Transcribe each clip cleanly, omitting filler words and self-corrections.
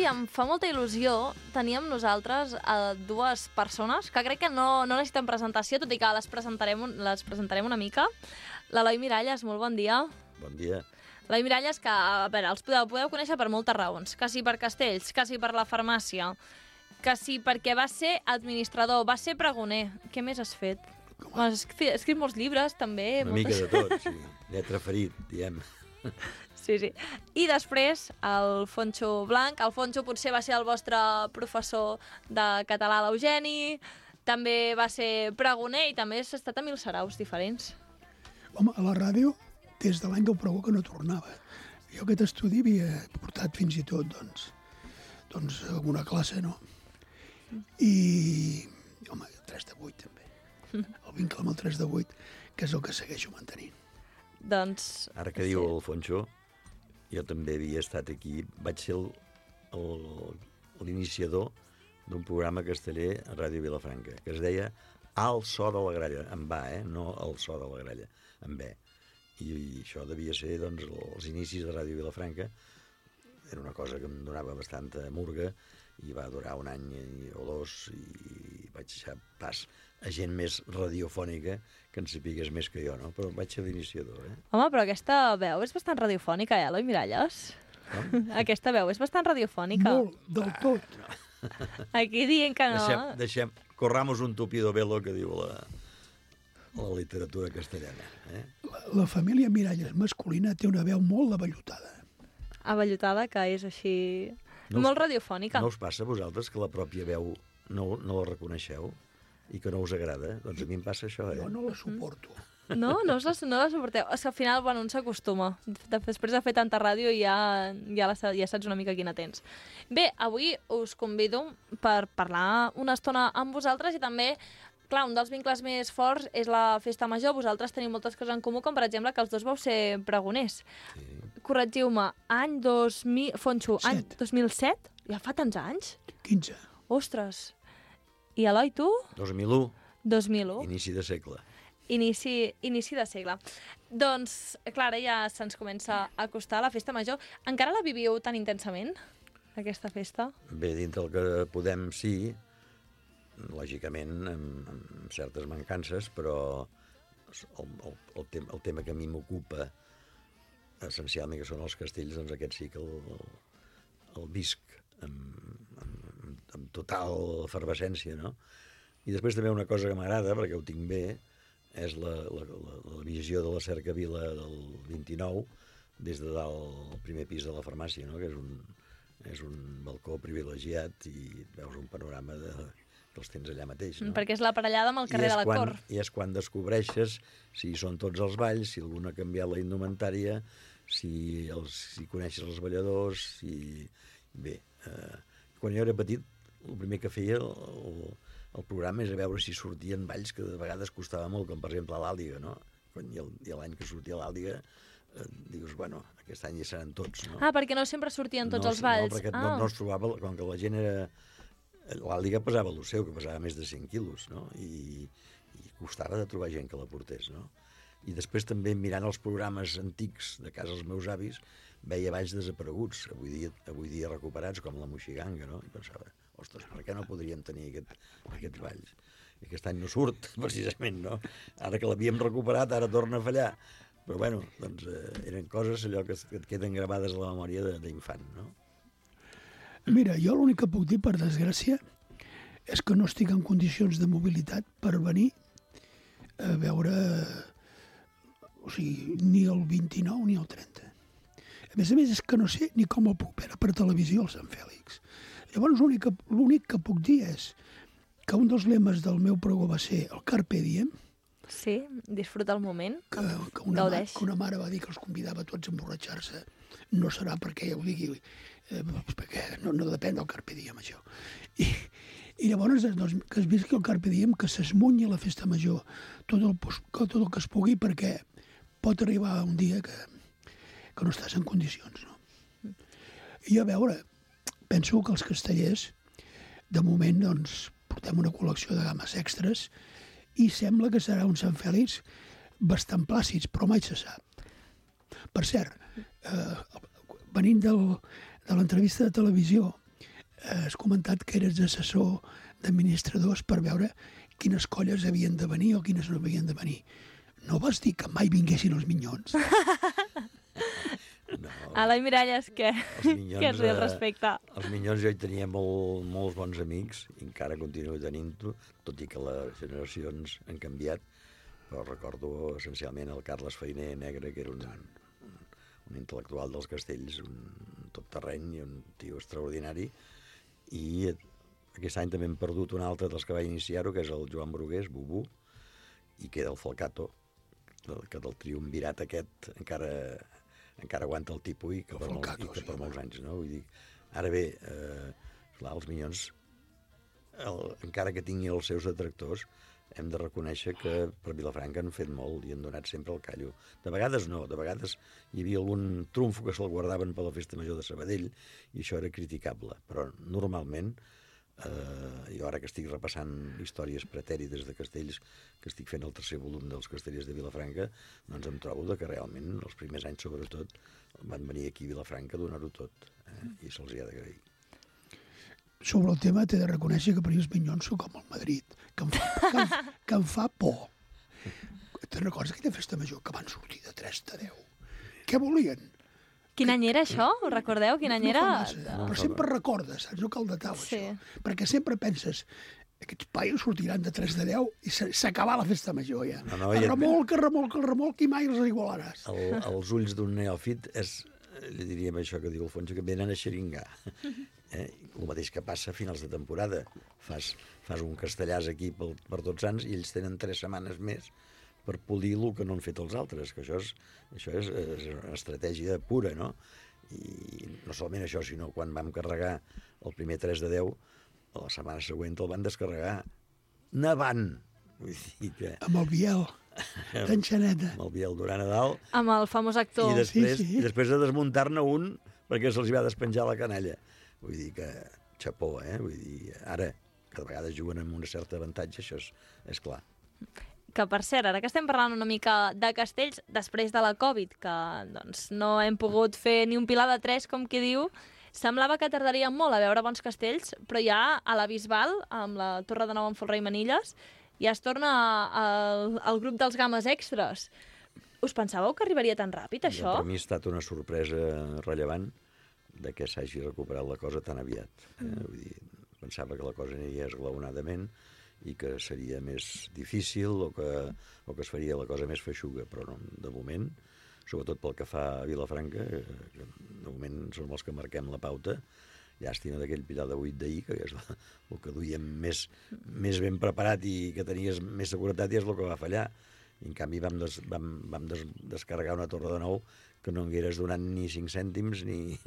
avui em fa molta il·lusió tenir amb nosaltres dues persones que crec que no necessiten presentació, tot i que les presentarem una mica. L'Eloi Miralles, molt bon dia. Bon dia. Eloi Miralles, que a veure, els podeu conèixer per moltes raons. Que sí per castells, que sí per la farmàcia, que sí perquè va ser administrador, va ser pregoner. Què més has fet? Has escrit molts llibres, també. Una mica de tot, sí. Lletra ferit, diem. Sí. I després, el Foncho Blanc. El Foncho potser va ser el vostre professor de català a l'Eugeni, també va ser pregoner i també has estat a 1000 saraus diferents. Home, a la ràdio, des de l'any del pregó que no tornava. Jo aquest estudi havia portat fins i tot, doncs alguna classe, no? I, home, el 3 de 8 també. El vincle amb el 3 de 8, que és el que segueixo mantenint. Doncs... Ara que diu el Foncho, jo també havia estat aquí, vaig ser l'iniciador d'un programa casteller a Ràdio Vilafranca, que es deia Al so de la gralla, en va, no el so de la gralla, en ve. I això devia ser, doncs, els inicis de Ràdio Vilafranca. Era una cosa que em donava bastanta murga i va durar un any o dos i vaig deixar pas a gent més radiofònica que en sapigués més que jo, no? Però vaig ser l'iniciador, Home, però aquesta veu és bastant radiofònica, Eloi Miralles? Com? Aquesta veu és bastant radiofònica. Molt, del tot. No. Aquí dient que no. Corramos un tupido velo, que diu la literatura castellana. La família Miralles masculina té una veu molt avellotada. Avellotada, que és així... molt radiofònica. No us passa a vosaltres que la pròpia veu no la reconeixeu i que no us agrada? Doncs a mi em passa això, Jo no la suporto. No la suporteu. És que al final, un s'acostuma. Després de fer tanta ràdio ja saps una mica quina tens. Bé, avui us convido per parlar una estona amb vosaltres i també, clar, un dels vincles més forts és la festa major. Vosaltres teniu moltes coses en comú, com per exemple que els dos vau ser pregoners. Sí. Corregiu-me, any 2000... Foncho, any 2007? Ja fa tants anys? 15. Ostres. I Eloi, tu? 2001. 2001. Inici de segle. Inici de segle. Doncs, clar, ja se'ns comença a acostar la festa major. Encara la viviu tan intensament, aquesta festa? Bé, dintre el que podem, sí, lògicament, amb certes mancances, però el tema que a mi m'ocupa essencialment, que són els castells, doncs aquest sí que el visc amb total efervescència, no? I després també una cosa que m'agrada, perquè ho tinc bé, és la visió de la cercavila del 29 des de dalt, el primer pis de la farmàcia, no? Que és un balcó privilegiat i veus un panorama que els tens allà mateix, no? Perquè és l'aparellada amb el carrer de la Cor. I és quan descobreixes si són tots els balls, si algun ha canviat la indumentària, si coneixes els balladors, Bé, quan jo era petit, el primer que feia el programa és a veure si sortien balls que de vegades costava molt, com per exemple l'Àliga, no? I l'any que sortia l'Àliga, dius, bueno, aquest any ja seran tots, no? Ah, perquè no sempre sortien tots els balls. No, perquè no es trobava, com que la gent era... L'Àliga pesava el seu, que pesava més de 100 quilos, no? I costava de trobar gent que la portés, no? I després també, mirant els programes antics de casa dels meus avis, veia balls desapareguts, avui dia recuperats, com la Moixiganga, no? I pensava, ostres, per què no podríem tenir aquests balls? I aquest any no surt, precisament, no? Ara que l'havíem recuperat, ara torna a fallar. Però, bueno, doncs eren coses allò que et queden gravades a la memòria d'infant, no? Mira, jo l'únic que puc dir, per desgràcia, és que no estic en condicions de mobilitat per venir a veure, o sigui, ni el 29 ni el 30. A més, és que no sé ni com el puc veure per televisió, el Sant Fèlix. Llavors, l'únic que puc dir és que un dels lemes del meu pregó va ser el Carpe Diem. Sí, disfruta el moment, gaudeix. Que una mare va dir que els convidava a tots a emborratxar-se. No serà perquè ja ho digui, perquè no depèn del Carpe Diem, això. I llavors, doncs, que es visqui el Carpe Diem, que s'esmunyi la festa major, tot el que es pugui, perquè pot arribar un dia que no estàs en condicions, no? I a veure, penso que els castellers, de moment, doncs, portem una col·lecció de games extres i sembla que serà un Sant Fèlix bastant plàcids, però mai se sap. Per cert, venint de l'entrevista de televisió has comentat que eres assessor d'administradors per veure quines colles havien de venir o quines no havien de venir. No vas dir que mai vinguessin els Minyons? No. Eloi Miralles, què et diu al respecte? Els Minyons jo hi tenia molts bons amics, i encara continuo tenint-ho, tot i que les generacions han canviat, però recordo essencialment el Carles Feiner Negre, que era un intel·lectual dels castells, un tot terreny i un tio extraordinari, i aquest any també hem perdut un altre dels que va iniciar-ho, que és el Joan Brugués, Bubú, i queda el Falcato, que del triumvirat aquest encara aguanta el tipus i que per molts anys, no? Vull dir, ara bé, clar, els Minyons, encara que tinguin els seus detractors, hem de reconèixer que per Vilafranca han fet molt i han donat sempre el callo. De vegades no, de vegades hi havia algun trumfo que se'l guardaven per la festa major de Sabadell i això era criticable, però normalment jo ara que estic repassant històries pretèrites de castells, que estic fent el tercer volum dels castellers de Vilafranca, doncs em trobo que realment els primers anys sobretot van venir aquí a Vilafranca a donar-ho tot, i se'ls hi ha d'agrair. Sobre el tema t'he de reconèixer que per mi els Minyons són com el Madrid, que em fa por. Te'n recordes aquella festa major que van sortir de 3 de 10? Què volien? Quin any era això? Ho recordeu? Quin any era? Però sempre recordes, saps? No cal datar això. Perquè sempre penses, aquests paios sortiran de 3 de 10 i s'acaba la festa major ja. Remolca i mai els igualaràs. Els ulls d'un neòfit li diríem això que diu Alfonso, que venen a xeringar. El mateix que passa a finals de temporada. Fas un castellàs aquí per Tots Sants i ells tenen 3 setmanes més per polir el que no han fet els altres, que això és una estratègia pura, no? I no solament això, sinó quan vam carregar el primer 3 de 10, la setmana següent el van descarregar nevant. Vull dir que... Amb el Biel, d'Enxaneta. Amb el Biel Duran a dalt. Amb el famós actor. I després de desmuntar-ne un perquè se'ls va despenjar la canalla. Vull dir que xapó, Vull dir, ara, que de vegades juguen amb un cert avantatge, això és clar. Que, per cert, ara que estem parlant una mica de castells, després de la Covid, que doncs, no hem pogut fer ni un pilar de 3, com qui diu, semblava que tardaria molt a veure bons castells, però ja a la Bisbal, amb la Torre de Nou en Folre i Manilles, ja es torna al grup dels games extras. Us pensàveu que arribaria tan ràpid, això? Per mi ha estat una sorpresa rellevant de que s'hagi recuperat la cosa tan aviat. Vull dir, pensava que la cosa aniria esglaonadament i que seria més difícil o que es faria la cosa més feixuga, però no, de moment, sobretot pel que fa a Vilafranca, que de moment som els que marquem la pauta, llàstima d'aquell pilar de 8 d'ahir, que és el que duíem més ben preparat i que tenies més seguretat i és el que va fallar. I en canvi vam descarregar una torre de nou que no hagués donat ni 5 cèntims ni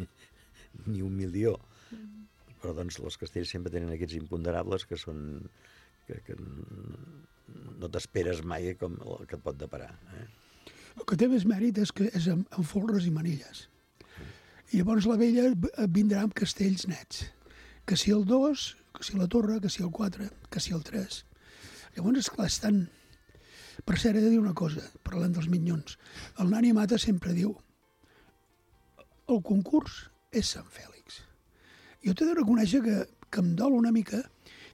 1 milió. Però doncs els castells sempre tenen aquests imponderables que són que no t'esperes mai com el que et pot deparar. El que té més mèrit és que és amb folres i manilles. I llavors la vella vindrà amb castells nets. Que si el 2, que si la torre, que si el 4, que si el 3. Llavors, esclar, estan... Per cert, he de dir una cosa, parlant dels Minyons. El Nani Mata sempre diu el concurs és Sant Fèlix. Jo t'he de reconèixer que em dol una mica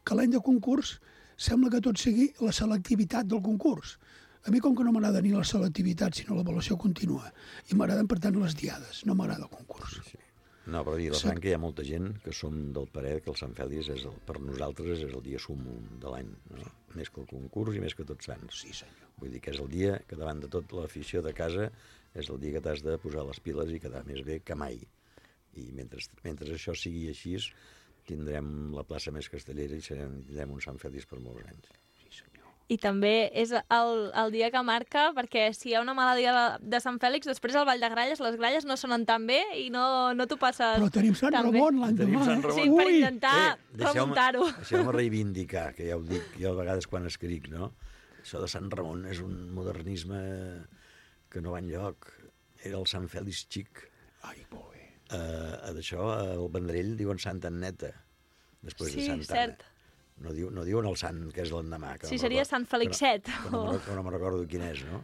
que l'any de concurs sembla que tot sigui la selectivitat del concurs. A mi, com que no m'agrada ni la selectivitat, sinó l'avaluació contínua, i m'agraden, per tant, les diades, no m'agrada el concurs. Sí. No, però a Vilafranca hi ha molta gent que som del parer que el Sant Fèlix per nosaltres és el dia súmmum de l'any, no? Més que el concurs i més que Tots Sants. Sí, senyor. Vull dir que és el dia que davant de tot l'afició de casa és el dia que t'has de posar les piles i quedar més bé que mai. I mentre això sigui així, tindrem la plaça més castellera i tindrem un Sant Fèlix per molts anys. I també és el dia que marca, perquè si hi ha una mala dia de Sant Fèlix, després al Vall de Gralles, les gralles no sonen tan bé i no t'ho passes. Però tenim Sant Ramon l'endemà. Sí, per intentar remuntar-ho. Deixeu-me reivindicar, que ja ho dic jo a vegades quan escric, no? Això de Sant Ramon és un modernisme que no va enlloc. Era el Sant Fèlix xic. Ai, molt bé. D'això, al Vendrell diuen Santa Anneta, després de Santa Anna. Cert. No diuen el sant, que és l'endemà. Sí, seria Sant Felixet. Que no me'n recordo quin és, no?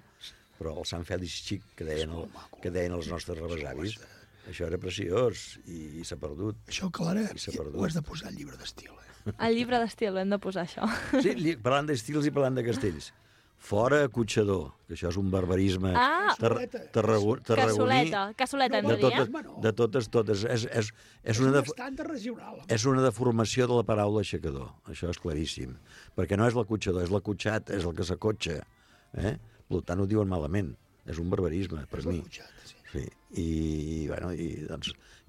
Però el Sant Fèlix xic, que deien els nostres rebesavis, Això era preciós i s'ha perdut. Això, Clara, ho has de posar al llibre d'estil. Al llibre d'estil hem de posar això. Sí, parlant d'estils i parlant de castells. Fora acotxador, que això és un barbarisme tarragoní. Cassoleta, hem de dir, De totes. És una deformació de la paraula aixecador. Això és claríssim. Perquè no és l'acotxador, és l'acotxat, és el que s'acotxa. Per tant, ho diuen malament. És un barbarisme, per mi. Sí. I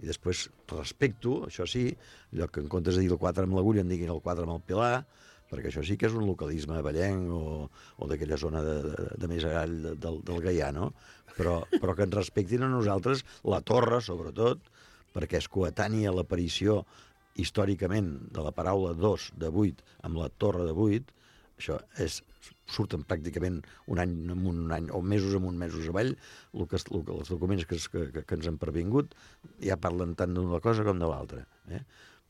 després respecto, això sí, allò que en comptes de dir el 4 amb l'agulla en diguin el 4 amb el pilar, perquè això sí que és un localisme ballenc o d'aquella zona de més avall del Gaià, no? Però que ens respectin a nosaltres, la torre, sobretot, perquè és coetània l'aparició històricament de la paraula 2 de 8 amb la torre de 8, això surten pràcticament un any amunt, un any, o mesos amunt, mesos avall, els documents que ens han pervingut ja parlen tant d'una cosa com de l'altra.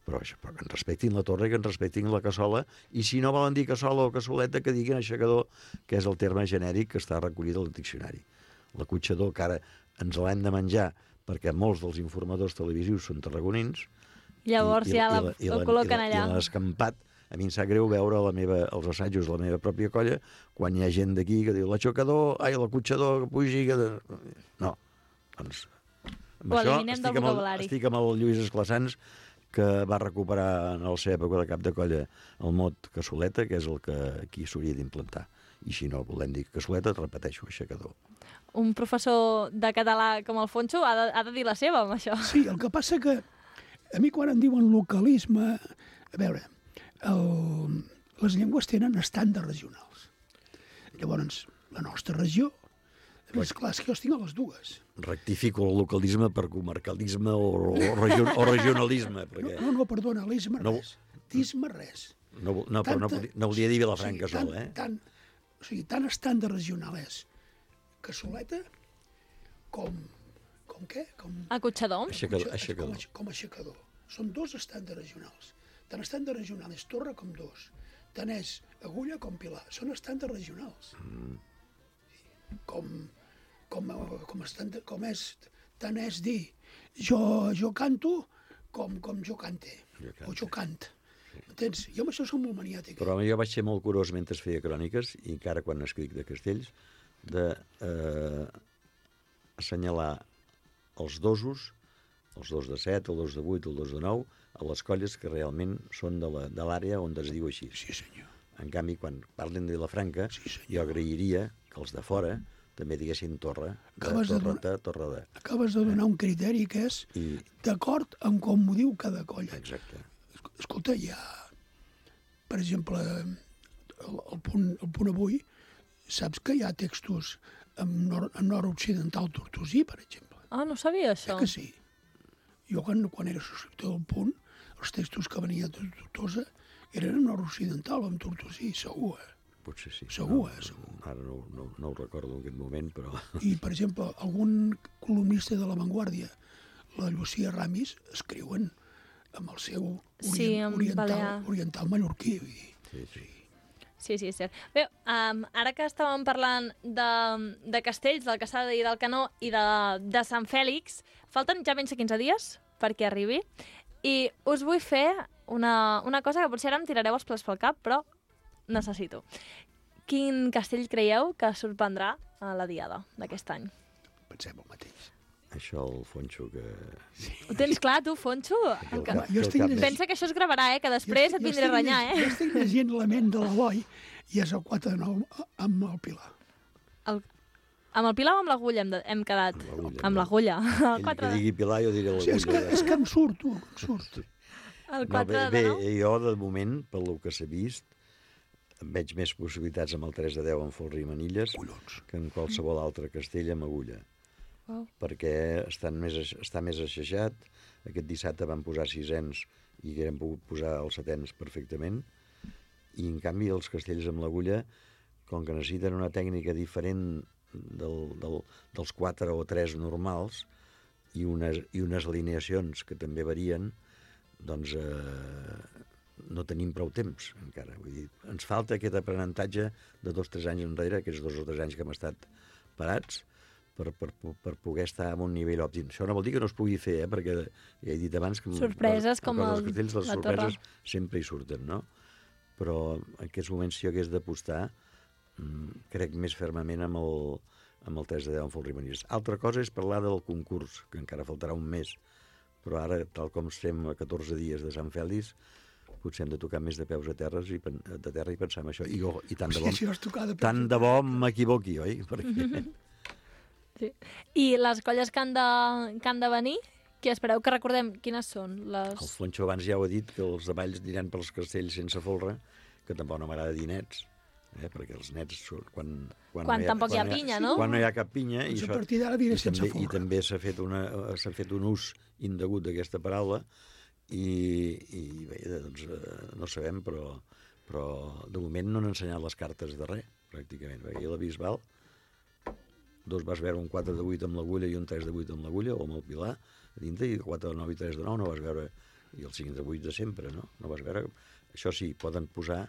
Però que ens respectin la torre i que ens respectin la cassola, i si no volen dir cassola o cassoleta, que diguin aixecador, que és el terme genèric que està recollit al diccionari. L'acotxador, que ara ens l'hem de menjar perquè molts dels informadors televisius són tarragonins, llavors ja el col·loquen allà. I l'escampat, a mi em sap greu veure els assajos de la meva pròpia colla quan hi ha gent d'aquí que diu l'acotxador que pugi... No, doncs... Amb això estic amb el Lluís Esclassans, que va recuperar en la seva època de cap de colla el mot cassoleta, que és el que aquí s'hauria d'implantar. I si no volem dir cassoleta, repeteixo, aixecador. Un professor de català com el Fonxo ha de dir la seva amb això. Sí, el que passa que a mi quan em diuen localisme... A veure, les llengües tenen estàndards regionals. Llavors, la nostra regió... És clar, és que jo estic a les dues. Rectifico el localisme per comarcalisme o regionalisme. Perquè... No, perdona, l'isme res. Disme res. No volia dir Vilafranca sol, O sigui, tant estàndard regional és cassoleta com què? Acotxador? Aixecador. Com aixecador. Són dos estàndards regionals. Tant estàndard regional és torre com dos. Tant és agulla com pilar. Són estàndards regionals. Com és, tant és dir jo canto com jo cante, o jo cant. Entens? Jo amb això som molt maniàtic. Però jo vaig ser molt curós mentre feia cròniques, i encara quan escric de castells, assenyalar els dosos, els 2 de 7, el 2 de 8, el 2 de 9, a les colles que realment són de l'àrea on es diu així. Sí, senyor. En canvi, quan parlen de Vilafranca, jo agrairia que els de fora també diguessin torre de. Acabes de donar un criteri que és d'acord amb com ho diu cada colla. Exacte. Escolta, hi ha, per exemple, el punt avui, saps que hi ha textos en nord-occidental tortosí, per exemple? Ah, no sabia això. Que sí. Jo, quan era subscriptor del Punt, els textos que venien de Tortosa eren en nord-occidental, en tortosí, segur. Potser sí. Segur. Ara no ho recordo en aquest moment, però... I, per exemple, algun columnista de La Vanguardia, la Llucia Ramis, escriuen amb el seu oriental mallorquí. Sí, és cert. Bé, ara que estàvem parlant de castells, del Caçada i del Canó i de Sant Fèlix, falten ja menys de 15 dies perquè arribi, i us vull fer una cosa que potser ara em tirareu els plats pel cap, però necessito. Quin castell creieu que sorprendrà a la diada d'aquest any? Pensem el mateix. Això el Fonxo que... Sí. Ho tens clar, tu, Fonxo? Pensa que això es gravarà, que després et vindré a renyar, Jo estic llegint la ment de l'Eloi i és el 4 de 9 amb el Pilar. Amb el Pilar o amb l'agulla hem quedat? Amb l'agulla. Que digui Pilar, jo diré l'agulla. És que em surt, tu, em surt. El 4 de 9? Bé, jo, de moment, pel que s'ha vist, veig més possibilitats amb el 3 de 10 amb Folre i Manilles que en qualsevol altre castell amb agulla. Perquè està més aixejat. Aquest dissabte van posar 6ens i haguem pogut posar els 7ens perfectament, i en canvi els castells amb l'agulla, com que necessiten una tècnica diferent dels 4 o 3 normals i unes alineacions que també varien, doncs no tenim prou temps encara. Vull dir, ens falta aquest aprenentatge de 2 o 3 anys enrere, aquests 2 o 3 anys que hem estat parats, per poder estar en un nivell òptim. Això no vol dir que no es pugui fer, perquè ja he dit abans que sorpreses com els castells, les la sorpreses sempre hi surten, no? Però en aquests moments si jo hagués d'apostar, crec més fermament amb el 3 de 10 en Folrimanilles. Altra cosa és parlar del concurs, que encara faltarà un mes, però ara, tal com estem a 14 dies de Sant Fèlix, potser hem de tocar més de peus a terra i pensar en això. I tant de bo m'equivoqui, oi? Perquè... Sí. I les colles que han de venir, que espereu que recordem quines són? El Flonxo abans ja ho ha dit, que els de Valls aniran pels castells sense folre, que tampoc no m'agrada dir nets, perquè els nets quan tampoc hi ha pinya, no? Quan no hi ha cap pinya, i a partir d'ara diré sense folre. I també s'ha fet un ús indegut d'aquesta paraula, i bé, doncs no sabem, però de moment no han ensenyat les cartes de res, pràcticament, perquè a la Bisbal vas veure un 4 de 8 amb l'agulla i un 3 de 8 amb l'agulla, o amb el Pilar, a dintre, i 4 de 9 i 3 de 9 no vas veure, i el 5 de 8 de sempre, no? No vas veure... Això sí, poden posar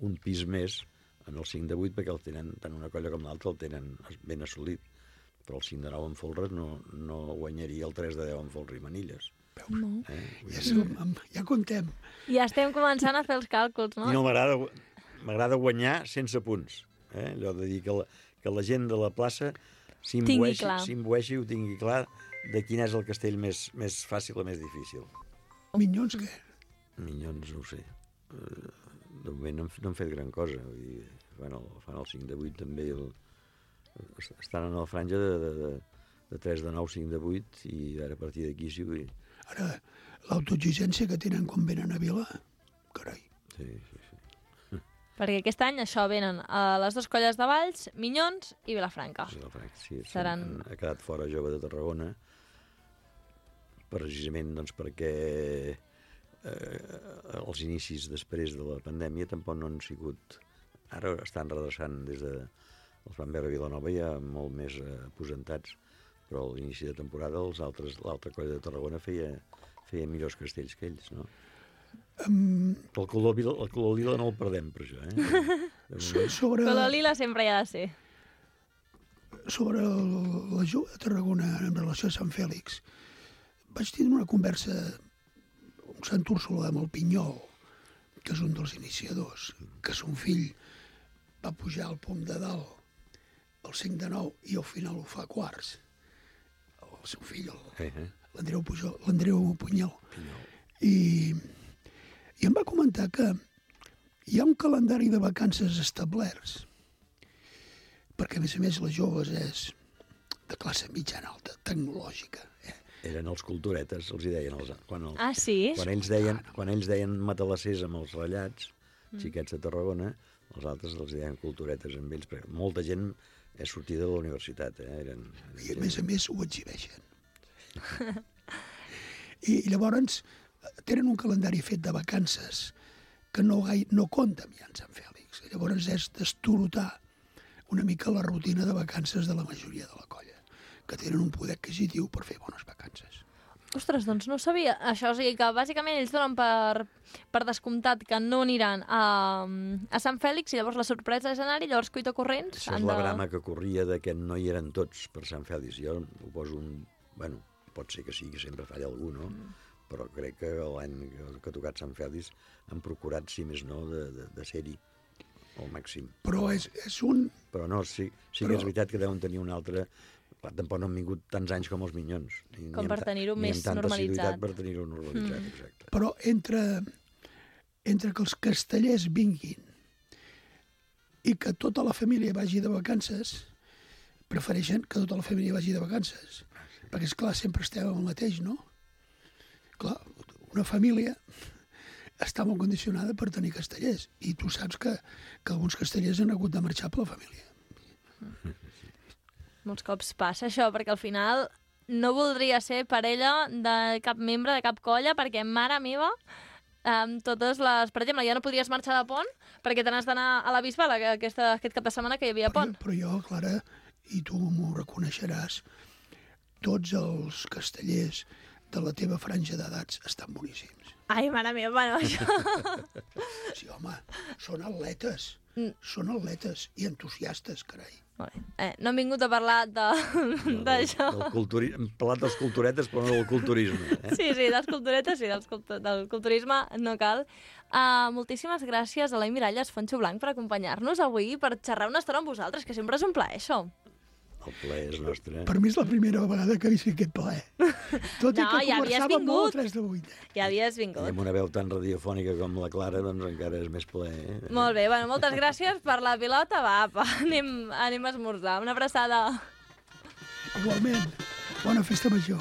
un pis més en el 5 de 8 perquè el tenen, tant una colla com l'altra el tenen ben assolit, però el 5 de 9 en folre no guanyaria el 3 de 10 en folre i manilles. No. Ja contem. Ja estem començant a fer els càlculs, no? I no m'agrada guanyar sense punts. Allò de dir que la gent de la plaça s'imbueixi i ho tingui clar de quin és el castell més fàcil o més difícil. Minyons, què? Minyons, no ho sé. De moment no han fet gran cosa. Fan el 5 de 8 també. Estan en la franja de 3 de 9, 5 de 8, i ara a partir d'aquí sí. Ara, l'autoexigència que tenen quan venen a Vila, carai. Sí. Perquè aquest any això venen a les dues colles de Valls, Minyons i Vilafranca. Sí. Ha quedat fora Jove de Tarragona, precisament doncs, perquè els inicis després de la pandèmia tampoc no han sigut... Ara estan redreçant des de... Els van veure a Vilanova ja molt més aposentats, però a l'inici de temporada l'altra colla de Tarragona feia millors castells que ells, no? El color lila no el perdem, per això, Color lila sempre hi ha de ser. Sobre la Jove de Tarragona en relació a Sant Fèlix, vaig tenir una conversa amb Sant Úrsula, amb el Pinyol, que és un dels iniciadors, que son fill va pujar al pom de dalt el 5 de 9 i al final ho fa quarts. El seu fill, l'Andreu Punyol. I em va comentar que hi ha un calendari de vacances establerts, perquè a més les joves és de classe mitjana alta, tecnològica. Eren els culturetes, els hi deien. Sí? Quan ells deien matalassers amb els ratllats, xiquets de Tarragona, els altres els deien culturetes amb ells, perquè molta gent és sortida de la universitat. I a més ho exhibeixen. I llavors tenen un calendari fet de vacances que no compta amb ja en Sant Fèlix. Llavors és destorotar una mica la rutina de vacances de la majoria de la colla, que tenen un poder adquisitiu per fer bones vacances. Ostres, doncs no ho sabia. Això, o sigui que bàsicament ells donen per descomptat que no aniran a Sant Fèlix i llavors la sorpresa és anar-hi, llavors cuita corrents. Això és la brama que corria de que no hi eren tots per Sant Fèlix. Jo ho poso Bueno, pot ser que sí, que sempre falla algú, no? Però crec que l'any que ha tocat Sant Fèlix han procurat, si més no, de ser-hi al màxim. Però és un... Però no, sí que és veritat que deuen tenir un altre... Tampoc no han vingut tants anys com els Minyons. Com per tenir-ho més normalitzat. Per tenir-ho normalitzat, exacte. Però entre que els castellers vinguin i que tota la família vagi de vacances, prefereixen que tota la família vagi de vacances. Perquè, esclar, sempre estem amb el mateix, no? Clar, una família està molt condicionada per tenir castellers. I tu saps que alguns castellers han hagut de marxar per la família. Molts cops passa això, perquè al final no voldria ser parella de cap membre de cap colla, perquè, mare meva, totes les... Per exemple, ja no podries marxar de pont perquè te n'has d'anar a la Bisbal aquest cap de setmana que hi havia pont. Però jo, Clara, i tu m'ho reconeixeràs, tots els castellers de la teva franja d'edats estan boníssims. Ai, mare meva, bueno, això... Sí, home, són atletes i entusiastes, carai. Molt bé. No hem vingut a parlar d'això. Hem parlat dels culturetes, però no del culturisme. Sí, dels culturetes, sí, del culturisme no cal. Moltíssimes gràcies a la Miralles Fonxo Blanc per acompanyar-nos avui, per xerrar una estona amb vosaltres, que sempre és un plaer, això. El plaer és nostre. Per mi és la primera vegada que visc aquest plaer. Tot i que conversàvem molt a 3 de 8. Ja havies vingut. I amb una veu tan radiofònica com la Clara, doncs encara és més plaer. Molt bé, bueno, moltes gràcies per la pilota. Va, anem a esmorzar. Una abraçada. Igualment. Bona festa major.